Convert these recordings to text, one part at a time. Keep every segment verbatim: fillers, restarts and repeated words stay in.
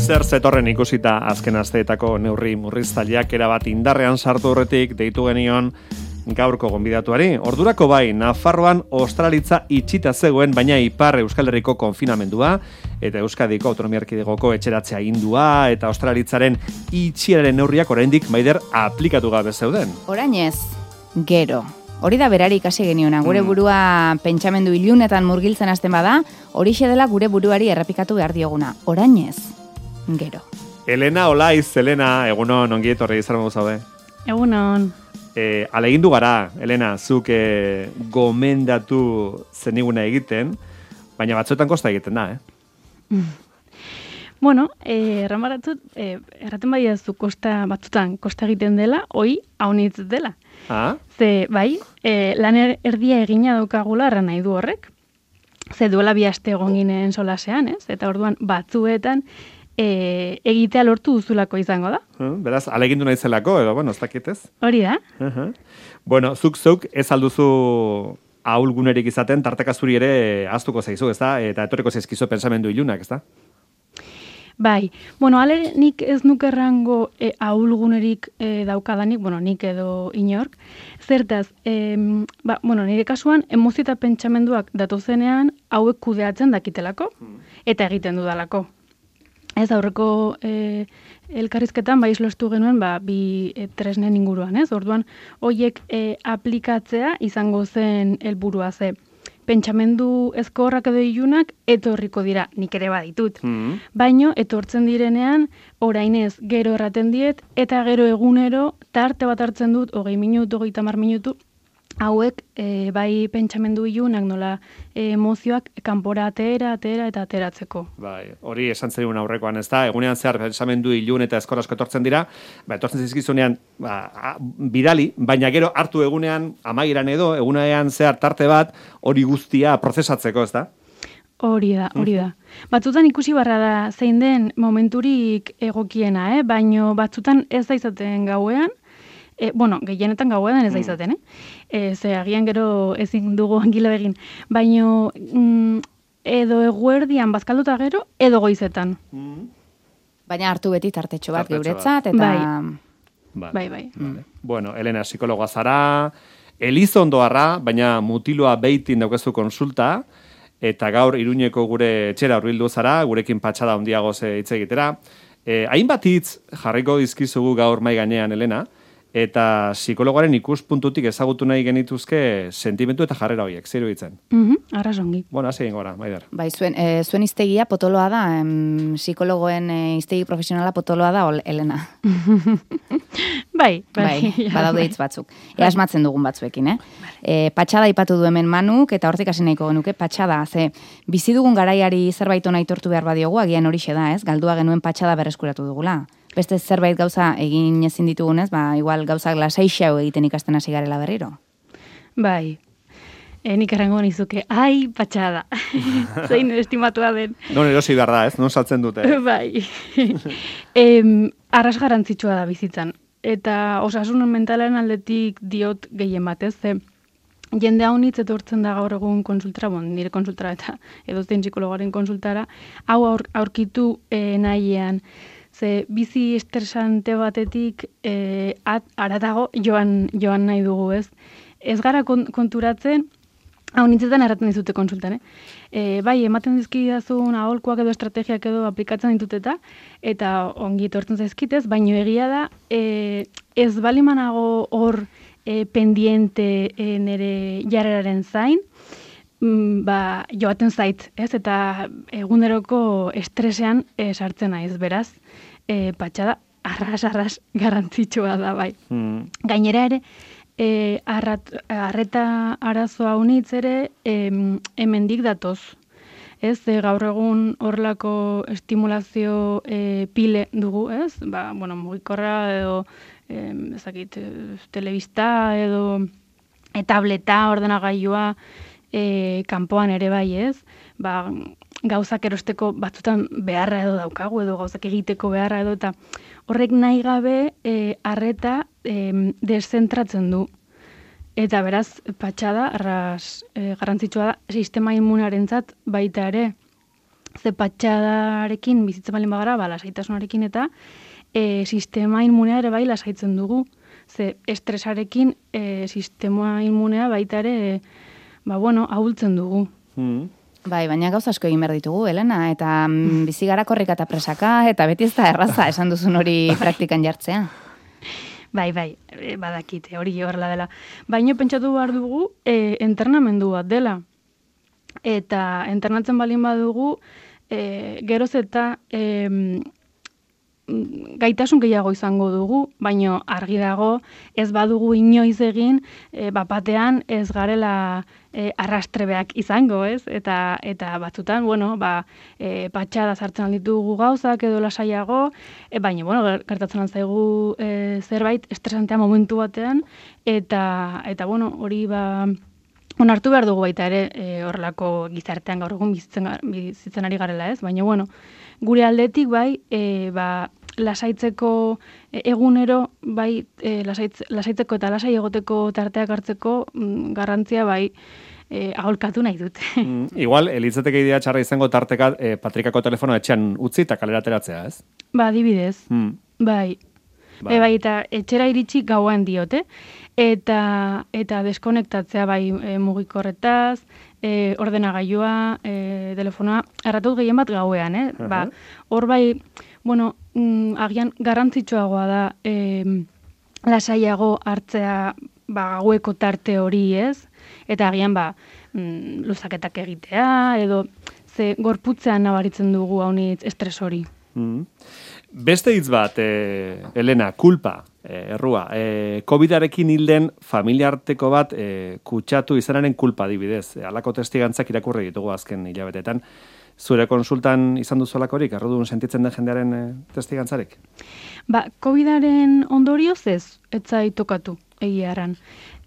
Zer zetorren ikusita azken asteetako neurri murriztaileak erabat indarrean sartu horretik deitu genion gaurko gonbidatuari. Ordurako bai, Nafarroan ostralitza itxita zegoen, baina Ipar Euskal Herriko konfinamendua eta Euskadiko Autonomia Erkidegoko etxeratzea indua eta ostralitzaren itxieraren neurriak oraindik Maider aplikatu gabe zeuden. Orainez, gero. Hori da berari ikasi geniona, gure burua pentsamendu ilunetan murgiltzen hasten bada, horixe dela gure buruari errepikatu behar dioguna. Orainez, gero. Elena Olaiz, Elena, egunon, ongi etorri izan modu zaude. Egunon. E, Alegindu gara, Elena, zuk e, gomendatu zeniguna egiten, baina batzuetan kosta egiten da, eh? Bueno, eh, erramaratzut, eh, erraten bai zu kosta batzutan kosta egiten dela, hoi haunitz dela. Ah? Ze, bai, eh, lan erdia egina daukagula erran nahi du horrek. Ze duela bi aste egon ginen solasean, ez? Eta orduan batzuetan e, egitea lortu duzulako izango da. Uh, beraz, alegindu naizelako, edo, bueno, ez dakitez. Hori da. Uh-huh. Bueno, zuk zeuk ez alduzu ahulgunerik izaten, tarteka zuri ere ahaztuko zaizu, ez da? Eta etorriko zaizkizu pensamendu ilunak, ez da? Bai, bueno, ale nik ez nuke errango e, ahulgunerik e, daukadanik, bueno, nik edo inork. Zertaz, e, ba, bueno, nire kasuan, emozio eta pentsamenduak datozenean hauek kudeatzen dakitelako, eta egiten dudalako. Ez aurreko e, elkarrizketan bai islostu genuen ba, bi e, tresnen inguruan, ez? Orduan, hoiek e, aplikatzea izango zen helburua ze. Pentsamendu ezkorrak edo ilunak etorriko dira, nik ere baditut. Mm-hmm. Baino, etortzen direnean, orainez gero erraten diet, eta gero egunero, tarte bat hartzen dut, hogei minutu, hogei tamar minutu, hauek e, bai pentsamendu ilunak nola e, emozioak kanpora atera, atera eta ateratzeko. Bai, hori esan zen aurrekoan, ez da? Egunean zehar pentsamendu ilun eta ezkor asko etortzen dira, ba, etortzen zizkizunean ba, bidali, baina gero hartu egunean, amaieran edo, egunean zehar tarte bat, hori guztia prozesatzeko, ez da? Hori da, hori da. Batzutan ikusi barra da zein den momenturik egokiena, eh? Baino batzutan ez da izaten gauean, E, bueno, gehienetan gauean ez da izaten, eh? E, ze agian gero ezin dugu angilo egin. Baino, mm, edo eguerdian bazkalduta gero, edo goizetan. Mm. Baina hartu beti tartetxo bat Tartetxo geuretzat, bat. eta... Bai, bai. bai. Vale. Bueno, Elena, psikologoa zara, Elizondoarra, baina mutiloa beitin daukazu konsulta, eta gaur Iruñeko gure etxera hurbildu zara, gurekin patxada handiago ze hitz egitera. E, hainbat hitz jarriko dizkizugu gaur mai gainean, Elena, eta psikologoaren ikuspuntutik ezagutu nahi genituzke sentimentu eta jarrera horiek, zer iruditzen? Mhm, arrasongi. Bueno, hasi egin gora, Maider. Bai, zuen, e, zuen iztegia potoloa da, em, psikologoen e, iztegi profesionala potoloa da, ol, Elena. bai, bai. Bai, badaude hitz batzuk. Ea asmatzen dugun batzuekin, eh? E, patxada ipatu du hemen Manuk, eta hortik hasi nahiko genuke, patxada, ze bizi dugun garaiari zerbait ona aitortu behar badiogu, agian horixe da, ez? Galdua genuen patxada berreskuratu dugula. Beste zerbait gauza egin ezin ditugunez, ba, igual gauzak lasaixau egiten ikasten hasi garela berriro. Bai. E, nik errango nizuke, ai, patxada. Zein estimatua den. Non erosi behar da, ez? Non saltzen dute. Bai. e, arras garantzitsua da bizitzan. Eta osasun mentalaren aldetik diot gehien batez, ze jende hau nitz etortzen da gaur egun konsultara, bon, nire konsultara eta edozein psikologaren konsultara, hau aur, aurkitu e, nahian. Ze bizi estresante batetik e, at, aratago joan, joan nahi dugu, ez? Ez gara konturatzen, hau nintzetan erraten dizute konsultan, eh? E, bai, ematen dizkidazun aholkuak edo estrategiak edo aplikatzen dituteta, eta ongi etortzen zaizkitez, baino egia da, e, ez balimanago hor e, pendiente e, nire jarreraren zain, mm, ba, joaten zait, ez? Eta eguneroko estresean e, sartzen naiz, beraz, e, patxada arras-arras garrantzitsua da, bai. Mm. Gainera ere, E, arrat, arreta arazoa unitz ere e, hemendik datoz. Ez, e, gaur egun horrelako estimulazio e, pile dugu, ez? Ba, bueno, mugikorra edo e, ezakit, telebista edo e, tableta, ordenagailua e, kanpoan ere bai, ez? Ba, gauzak erosteko batzutan beharra edo daukagu edo gauzak egiteko beharra edo eta horrek nahi gabe e, arreta e, deszentratzen du. Eta beraz, patxada, arras e, garrantzitsua da, sistema immunarentzat baita ere. ze patxadarekin bizitzen balin bagara, ba, lasaitasunarekin eta e, sistema inmunea ere bai lasaitzen dugu. Ze estresarekin e, sistema inmunea baita ere, e, ba, bueno, ahultzen dugu. Mm. Bai, baina gauza asko egin behar ditugu, Elena, eta mm, bizi gara korrika eta presaka, eta beti ez da erraza esan duzun hori praktikan jartzea. Bai, bai, e, badakite, hori horrela dela. Baina pentsatu behar dugu, e, entrenamendu bat dela. Eta entrenatzen balin badugu, e, geroz eta e, gaitasun gehiago izango dugu, baino argi dago ez badugu inoiz egin, e, bapatean ez garela e, arrastrebeak izango, ez? Eta eta batzutan, bueno, ba, e, patxada sartzen alditugu gauzak edo lasaiago, e, baina, bueno, gertatzen zaigu e, zerbait estresantea momentu batean, eta, eta bueno, hori ba, onartu behar dugu baita ere e, horrelako gizartean gaur egun bizitzen, bizitzen ari garela, ez? Baina, bueno, gure aldetik bai, e, ba, lasaitzeko egunero, bai, e, lasaitz, lasaitzeko eta lasai egoteko tarteak hartzeko mm, garrantzia bai e, aholkatu nahi dute. Mm, igual, elitzateke idea txarra izango tarteka e, Patrikako telefono etxean utzi eta kalera ateratzea, ez? Ba, adibidez, Mm. bai. Bai. E, bai, eta etxera iritsi gauan diote, eta eta deskonektatzea bai e, mugikorretaz, e, ordenagailua, e, telefonoa, erratut gehien bat gauean, eh? Uh-huh. Ba, hor bai, bueno, mm, agian garrantzitsuagoa da e, lasaiago hartzea ba, gaueko tarte hori, ez? Eta agian ba, mm, luzaketak egitea, edo ze gorputzean nabaritzen dugu haunitz estres hori. Mm. Beste hitz bat, e, Elena, kulpa, e, errua. E, COVIDarekin hilden familiarteko bat e, kutsatu izanaren kulpa adibidez. E, alako testigantzak irakurri ditugu azken hilabetetan. Zure konsultan izan duzu alakorik, errudun sentitzen den jendearen e, testigantzarik? Ba, COVIDaren ondorioz ez, etzai tokatu egiaran.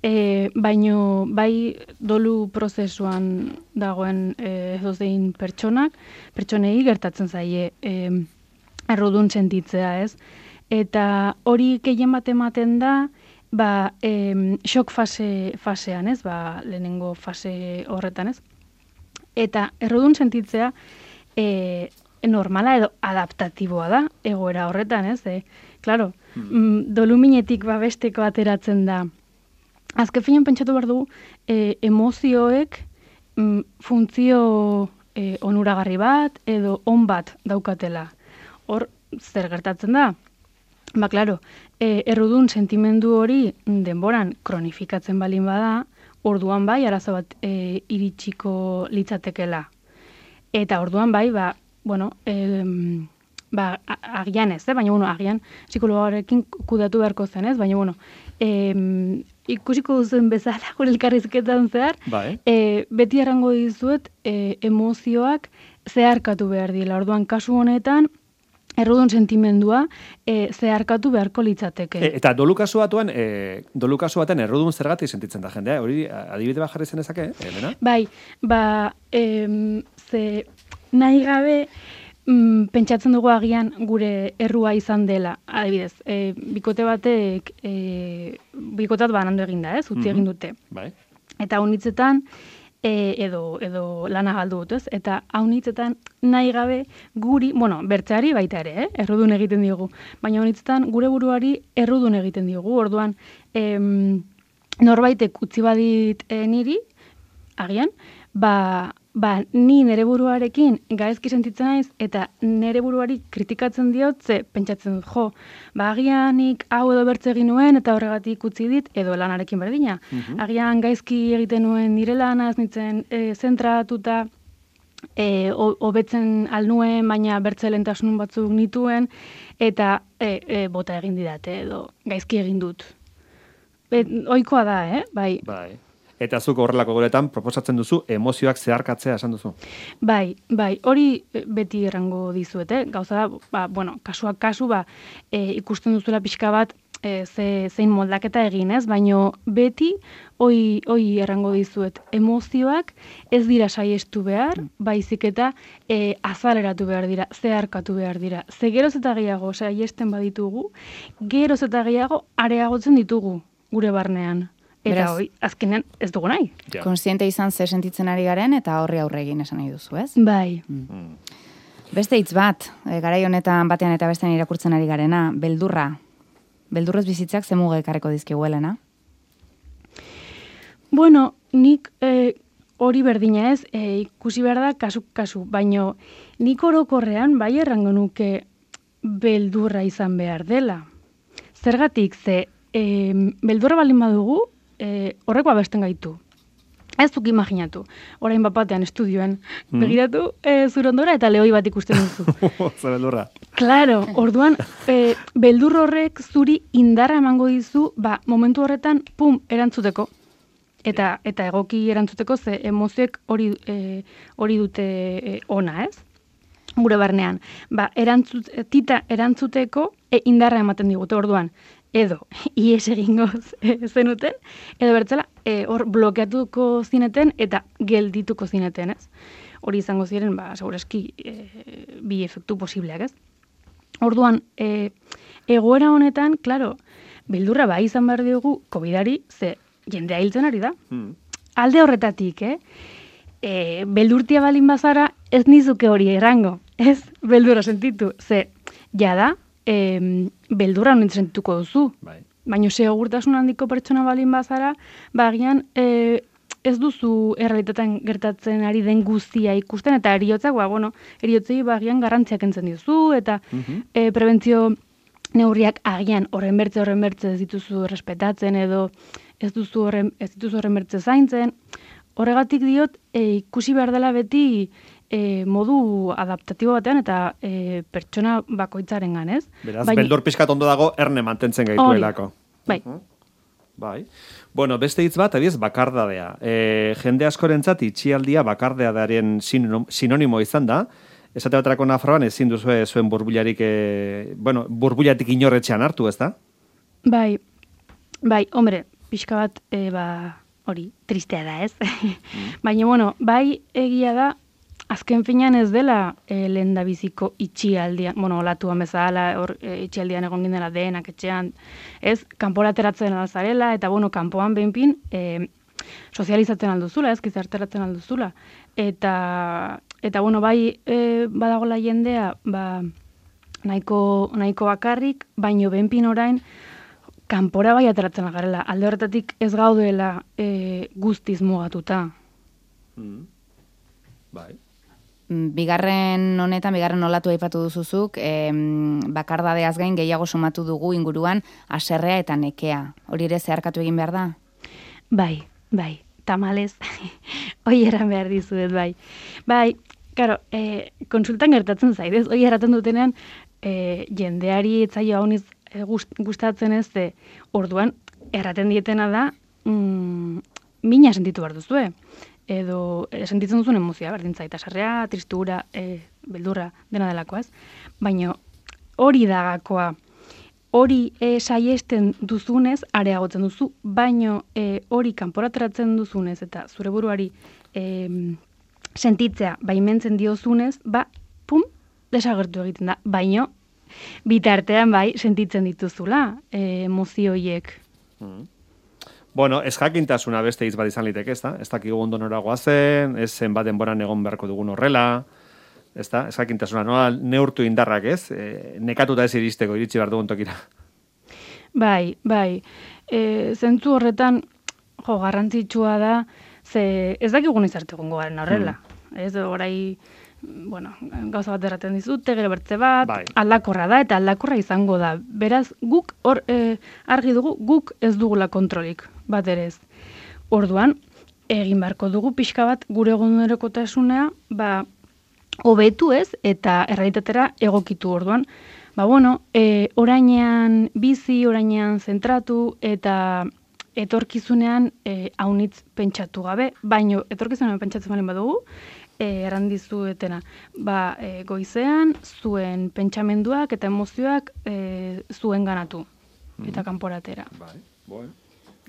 E, baino, bai dolu prozesuan dagoen e, edozein pertsonak, pertsonei gertatzen zaie e, errudun sentitzea, ez? Eta hori gehien bat ematen da, ba, e, shock fase, fasean, ez? Ba, lehenengo fase horretan, ez? Eta errudun sentitzea e, normala edo adaptatiboa da, egoera horretan, ez? E, claro, mm. doluminetik babesteko ateratzen da. Azken finean pentsatu behar dugu, e, emozioek mm, funtzio e, onuragarri bat edo on bat daukatela. Hor, zer gertatzen da? Ba, klaro, e, errudun sentimendu hori denboran kronifikatzen balin bada, orduan bai, arazo bat e, iritsiko litzatekela. Eta orduan bai, ba, bueno, e, ba, agian ez, eh? Baina, bueno, agian psikologarekin kudatu beharko zen, ez? Baina, bueno, e, ikusiko duzen bezala, gure elkarrizketan zehar, Bai. e, beti errango dizuet e, emozioak zeharkatu behar dira. Orduan, kasu honetan, errudun sentimendua e, zeharkatu beharko litzateke. E, eta dolu kasu batuan, e, dolu kasu baten errudun zergatik sentitzen da jendea, hori adibide bat jarri zenezake, eh, Elena? Bai, ba, em, ze nahi gabe mm, pentsatzen dugu agian gure errua izan dela. Adibidez, e, bikote batek, e, bikotat banandu eginda, ez, utzi egin dute. Bai. Eta haunitzetan, E, edo, edo lana galdu dut, ez? Eta haunitzetan nahi gabe guri, bueno, bertzeari baita ere, eh? Errudun egiten diogu. Baina haunitzetan gure buruari errudun egiten diogu. Orduan, em, norbaitek utzi badit e, niri, agian, ba, ba ni nere buruarekin gaizki sentitzen naiz eta nere buruari kritikatzen diot, ze pentsatzen dut, jo, ba agianik hau edo bertze egin nuen eta horregatik utzi dit, edo lanarekin berdina. Mhm. Agian gaizki egiten nuen nire lana, ez nintzen e, zentratuta, e, hobetzen alnuen, baina bertze lehentasun batzuk nituen, eta e, e, bota egin didate, edo gaizki egin dut. E, ohikoa da, eh? Bai. Bai. Eta zuk horrelako goretan proposatzen duzu emozioak zeharkatzea esan duzu. Bai, bai, hori beti errango dizuet, eh? Gauza da, ba, bueno, kasuak kasu, ba, e, ikusten duzula pixka bat, e, ze, zein moldaketa egin, ez? Baino beti, hoi, hoi errango dizuet, emozioak ez dira saiestu behar, baizik eta e, azaleratu behar dira, zeharkatu behar dira. Ze geroz eta gehiago saiesten baditugu, geroz eta gehiago areagotzen ditugu gure barnean. Eta hoi, azkenean ez dugu nahi. Konstiente izan ze sentitzen ari garen, eta horri aurre egin esan nahi duzu, ez? Bai. Mm. Beste hitz bat, e, garai honetan batean eta bestean irakurtzen ari garena, beldurra. Beldurrez bizitzak ze muga ekarriko dizkiguelena? Bueno, nik e, hori berdina ez, e, ikusi behar da kasu-kasu, baino nik orokorrean bai errango nuke beldurra izan behar dela. Zergatik, ze e, beldurra baldin badugu, e, horreko abesten gaitu. Ez duk imaginatu. Orain bapatean estudioen mm. begiratu e, zurondora eta lehoi bat ikusten duzu. Ze beldurra. Claro, orduan, e, beldur horrek zuri indarra emango dizu, ba, momentu horretan, pum, erantzuteko. Eta eta egoki erantzuteko, ze emozioek hori e, hori dute e, ona, ez? Gure barnean. Ba, erantzut, tita erantzuteko e, indarra ematen digute orduan. Edo, ies egingoz e, zenuten, edo bertzela, hor e, blokeatuko zineten eta geldituko zineten, ez? Hori izango ziren, ba, segurazki, e, bi efektu posibleak, ez? Orduan, e, egoera honetan, klaro, beldurra bai izan behar diogu, kobidari, ze jendea hiltzen ari da. Mm. Alde horretatik, eh? E, beldurtia balin bazara, ez nizuke hori errango, ez? Beldurra sentitu, ze, jada, e, beldurra honen sentituko duzu. Bai. Baina segurtasun handiko pertsona balin bazara, bagian, e, ez duzu errealitatean gertatzen ari den guztia ikusten, eta eriotzak, ba, bueno, eriotzei bagian garrantziak entzen diozu, eta mm-hmm. e, prebentzio neurriak agian horren bertze, horren bertze ez dituzu respetatzen, edo ez duzu horren, ez dituzu horren bertze zaintzen. Horregatik diot, e, ikusi behar dela beti e, modu adaptatibo batean eta e, pertsona bakoitzaren ganez. Beraz, Baina, beldur pixkat ondo dago erne mantentzen gaituelako. Bai. Uh-huh. Bai. Bueno, beste hitz bat, abiez, bakardadea. E, jende askorentzat itxialdia bakardeadaren sinonimo izan da. Esate baterako Nafarroan ezin duzue zuen burbularik, e, bueno, burbulatik inorretxean hartu, ez da? Bai, bai, hombre, pixka bat, e, ba, hori, tristea da, ez? Mm. Baina, bueno, bai egia da, azken finean ez dela e, lehen da biziko itxialdian, bueno, olatuan bezala, hor, e, itxialdian egon gindela denak etxean, ez? Kanpora ateratzen alzarela, eta, bueno, kanpoan behinpin, e, sozializatzen alduzula, ez? Gizarteratzen alduzula. Eta, eta, bueno, bai e, badagola jendea, ba, nahiko, nahiko bakarrik, baino behinpin orain, kanpora bai ateratzen garela, alde horretatik ez gaudela e, guztiz mugatuta. Mm. Bai. Bigarren honetan, bigarren olatu aipatu duzuzuk, e, bakardadeaz gain gehiago sumatu dugu inguruan haserrea eta nekea. Hori ere zeharkatu egin behar da? Bai, bai, tamalez, hoi eran behar dizuet, bai. Bai, karo, e, konsultan gertatzen zaidez, hoi erraten dutenean, e, jendeari etzaio hauniz gustatzen ez, de, orduan, erraten dietena da, mm, mina sentitu behar duzue. Edo e, sentitzen duzun emozioa, berdin zaita, sarrea, tristura, e, beldurra, dena delakoa ez. Baina hori dagakoa, hori e, saiesten duzunez, areagotzen duzu, baino e, hori kanporateratzen duzunez, eta zure buruari e, sentitzea baimentzen diozunez, ba, pum, desagertu egiten da, baino, bitartean bai, sentitzen dituzula e, emozioiek. Mm. Bueno, ez jakintasuna beste hitz bat izan liteke, ez da? Ez dakigu ondo nora goazen, ez zen bat denboran egon beharko dugun horrela, ez da? Ez jakintasuna, noa neurtu indarrak, ez? E, nekatuta ez iristeko, iritsi behar dugun tokira. Bai, bai. E, zentzu horretan, jo, garrantzitsua da, ze ez dakigun izarte egongo garen horrela. Mm. Ez, orai, bueno, gauza bat erraten dizute, gero bertze bat, bai. Aldakorra da, eta aldakorra izango da. Beraz, guk, hor, e, argi dugu, guk ez dugula kontrolik, bat ere ez. Orduan, egin beharko dugu pixka bat gure egunerokotasuna, ba, hobetu ez, eta errealitatera egokitu orduan. Ba, bueno, e, orainean bizi, orainean zentratu, eta etorkizunean e, haunitz pentsatu gabe, baino etorkizunean pentsatzen balen badugu, E, errandizuetena, ba, e, goizean, zuen pentsamenduak eta emozioak e, zuen ganatu, mm. eta kanporatera. Bai, bueno.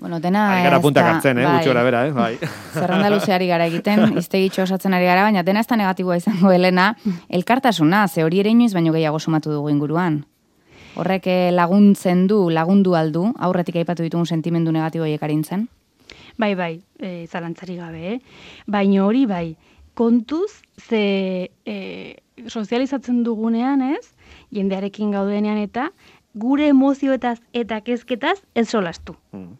Bueno, dena ez da... puntak hartzen, eh, bai. Gutxora bera, eh, bai. Zerrenda luzeari gara egiten, iztegitxo osatzen ari gara, baina dena ez da negatiboa izango, Helena, elkartasuna, ze hori ere inoiz baino gehiago sumatu dugu inguruan. Horrek laguntzen du, lagundu aldu, aurretik aipatu ditugun sentimendu negatiboiek arintzen? Bai, bai, e, zalantzari gabe, eh? Baina hori bai, kontuz, ze e, sozializatzen dugunean, ez? Jendearekin gaudenean eta gure emozioetaz eta kezketaz ez solastu. Mm.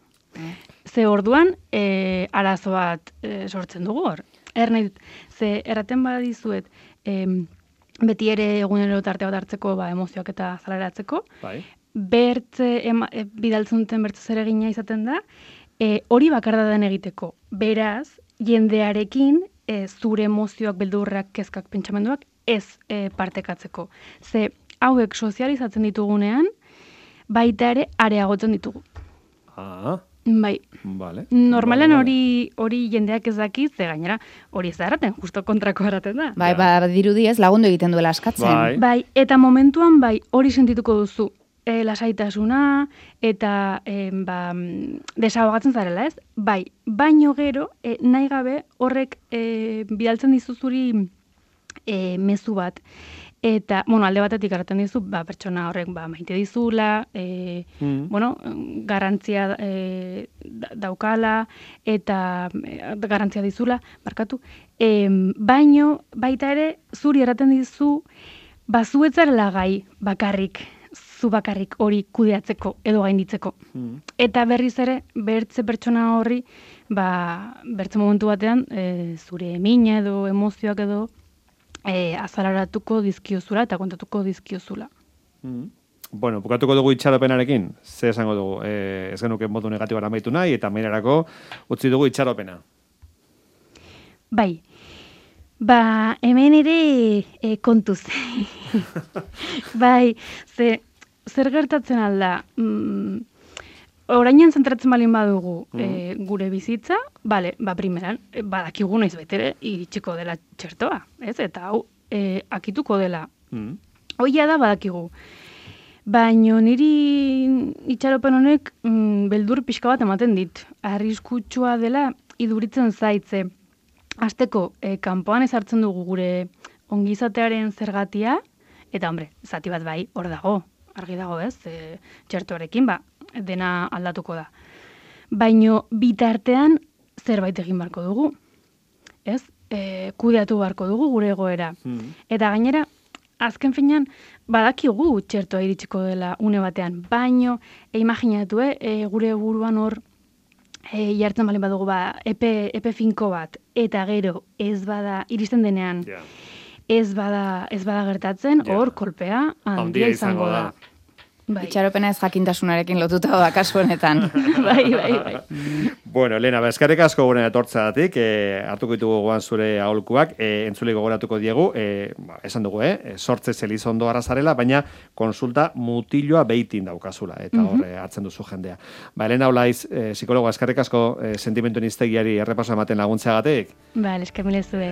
Ze orduan, e, arazo bat e, sortzen dugu hor. Er nahi dut, ze erraten badizuet, e, beti ere egunero tarte bat hartzeko ba, emozioak eta zalaratzeko, bai. Bertze, ema, e, bidaltzen duten bertze zeregina izaten da, e, hori bakardaden egiteko. Beraz, jendearekin e, zure emozioak, beldurrak, kezkak, pentsamenduak ez e, partekatzeko. Ze hauek sozializatzen ditugunean, baita ere areagotzen ditugu. Ah, bai. Vale. Normalen hori hori jendeak ez daki, ze gainera hori ez da erraten, justo kontrako erraten da. Bai, ba, dirudi ez lagundu egiten duela askatzen. Bai. Bai, eta momentuan bai hori sentituko duzu. E, lasaitasuna eta e, ba, desahogatzen zarela, ez? Bai, baino gero e, nahi gabe horrek e, bidaltzen dizuzuri e, mezu bat. Eta, bueno, alde batetik erraten dizu, ba, pertsona horrek ba, maite dizula, e, mm. bueno, garrantzia e, daukala, eta e, garrantzia dizula, barkatu. E, baino, baita ere, zuri erraten dizu, ba, zuetzarela gai bakarrik, zu bakarrik hori kudeatzeko edo gainditzeko. Mm. Eta berriz ere, bertze pertsona horri, ba, bertze momentu batean, e, zure mina edo emozioak edo, E, azalaratuko dizkiozula eta kontatuko dizkiozula. Mm. Bueno, bukatuko dugu itxaropenarekin, ze esango dugu, e, ez genuke modu negatibara amaitu nahi, eta meinerako utzi dugu itxaropena. Bai, ba, hemen ere e, kontuz. Bai, ze, zer gertatzen alda, mm, orainen zentratzen balin badugu mm. e, gure bizitza, bale, ba, primeran, e, badakigu noiz betere iritsiko dela txertoa, ez? Eta hau, e, akituko dela. Mm. Hoia da badakigu. Baina niri itxaropen honek mm, beldur pixka bat ematen dit. Arriskutsua dela iduritzen zaitze. Hasteko, e, kanpoan ezartzen dugu gure ongizatearen zergatia, eta hombre, zati bat bai, hor dago, argi dago ez, e, txertoarekin, ba, dena aldatuko da. Baino bitartean zerbait egin barko dugu. Ez? E, kudeatu barko dugu gure egoera. Mm. Eta gainera, azken finean, badakigu txertoa iritsiko dela une batean. Baino, e, imaginatu, e, gure buruan hor e, jartzen balen badugu ba, epe, epe finko bat. Eta gero, ez bada, iristen denean, yeah. ez bada, ez bada gertatzen, yeah. hor kolpea handia izango da. da. Bai. Itxaropena ez jakintasunarekin lotuta da kasu honetan. bai, bai, bai. Bueno, Lena, eskerrik asko gure etortzagatik, eh, hartuko ditugu goan zure aholkuak, eh, entzule gogoratuko diegu, eh, ba, esan dugu, eh, sortze Elizondo arrazarela, baina konsulta mutiloa beitin daukazula, eta hor mm-hmm. hartzen duzu jendea. Ba, Elena Olaiz, eh, psikologoa, eskerrik asko eh, sentimentuen iztegiari errepaso ematen laguntzeagatik. Ba, eskerrik asko.